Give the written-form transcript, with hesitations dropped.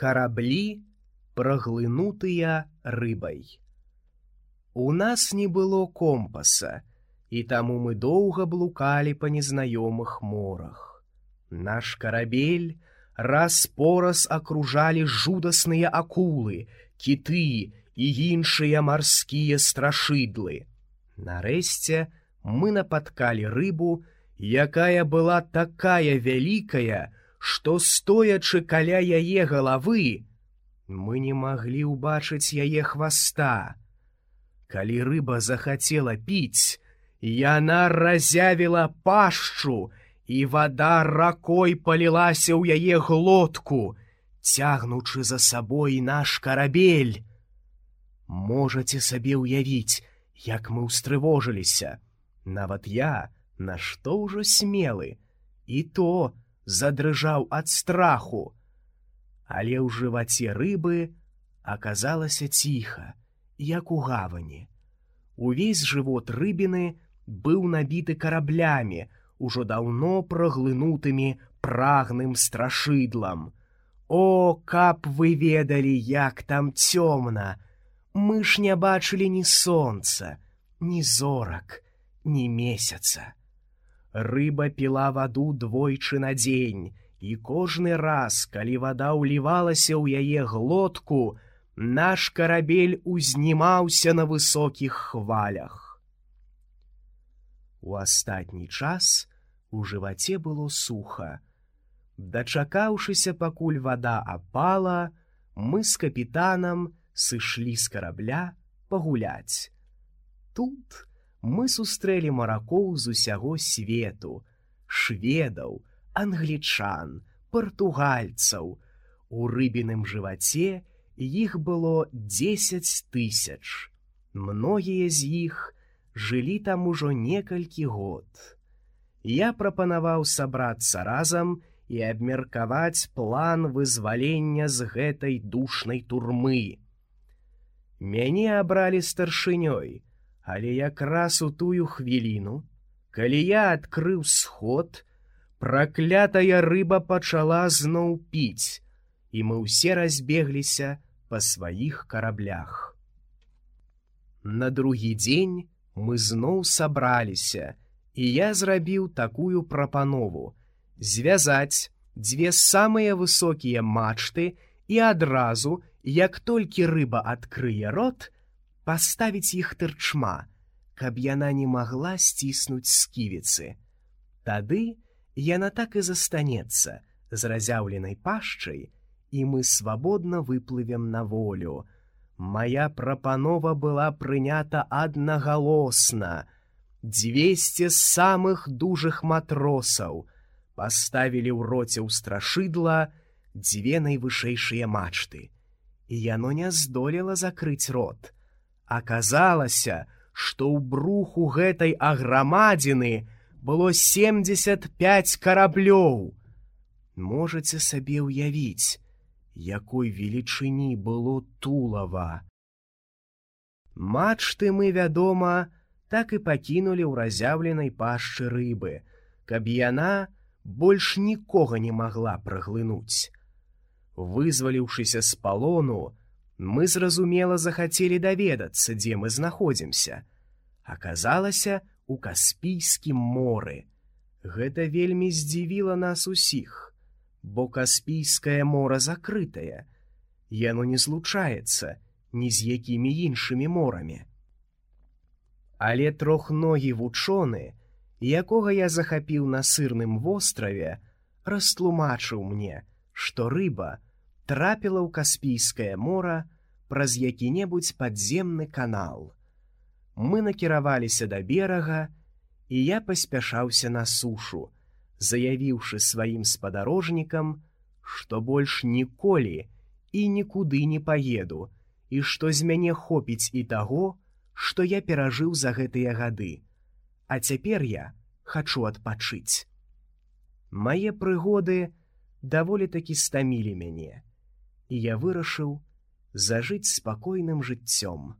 Караблі, праглынутыя рыбай. У нас не было компаса, і таму мы доўга блукалі па незнаёмых морах. Наш карабель раз-пораз акружалі жудасныя акулы, кіты і іншыя марскія страшыдлы. Нарэшце мы напаткалі рыбу, якая была такая вялікая, што, стоячы каля яе галавы, мы не маглі ўбачыць яе хваста. Калі рыба захацела піць, яна разявіла пашчу, і вада ракой палілася ў яе глотку, цягнучы за сабой наш карабель. Можаце сабе ўявіць, як мы ўстрывожыліся. Нават я, нашто ўжо смелы, і то задрыжаў ад страху. Але ў жываце рыбы аказалася ціха, як у гавані. Увесь жывот рыбіны быў набіты караблямі, ужо даўно праглынутымі прагным страшыдлам. О, каб вы ведалі, як там цёмна! Мы ж не бачылі ні сонца, ні зорак, ні месяца. Рыба піла ваду двойчы на дзень, і кожны раз, калі вада ўлівалася ў яе глотку, наш карабель узнімаўся на высокіх хвалях. У астатні час у жываце было суха. Дачакаўшыся, пакуль вада апала, мы з капітанам сышлі з карабля пагуляць. Тут мы сустрэлі маракоў з усяго свету, шведаў, англічан, партугальцаў. У рыбіным жываце іх было 10 000. Многія з іх жылі там ужо некалькі год. Я прапанаваў сабрацца разам і абмеркаваць план вызвалення з гэтай душнай турмы. Мяне абралі старшынёй, але якраз у тую хвіліну, калі я адкрыў сход, праклятая рыба пачала зноў піць, і мы ўсе разбегліся па сваіх караблях. На другі дзень мы зноў сабраліся, і я зрабіў такую прапанову — звязаць 2 самыя высокія мачты і адразу, як толькі рыба адкрые рот, паставіць іх тырчма, каб яна не магла сціснуць сківіцы. Тады яна так і застанецца з разяўленай пашчай, і мы свабодна выплывем на волю. Мая прапанова была прынята аднагалосна. 200 самых дужых матросаў паставілі ў роце ў страшыдла 2 найвышэйшыя мачты, і яно не здолела закрыць рот. Аказалася, што ў бруху гэтай аграмадзіны было 75 караблёў. Можаце сабе ўявіць, якой велічыні было тулава. Мачты мы, вядома, так і пакінулі ў разяўленай пашчы рыбы, каб яна больш нікога не магла праглынуць. Вызваліўшыся з палону, мы зразумела захацелі даведацца, дзе мы знаходзімся. Аказалася, у Каспійскім моры. Гэта вельмі здзівіла нас усіх, бо Каспійскае мора закрытае. Яно не злучаецца ні з якімі іншымі морамі. Але трохногі вучоны, якога я захапіў на сырным востраве, растлумачыў мне, што рыба трапіла ў Каспійскае мора праз які-небудзь падземны канал. Мы накіраваліся да берага, і я паспяшаўся на сушу, заявіўшы сваім спадарожнікам, што больш ніколі і нікуды не паеду, і што з мяне хопіць і таго, што я перажыў за гэтыя гады. А цяпер я хачу адпачыць. Мае прыгоды даволі-такі стамілі мяне, і я вырашыў зажыць спакойным жыццём.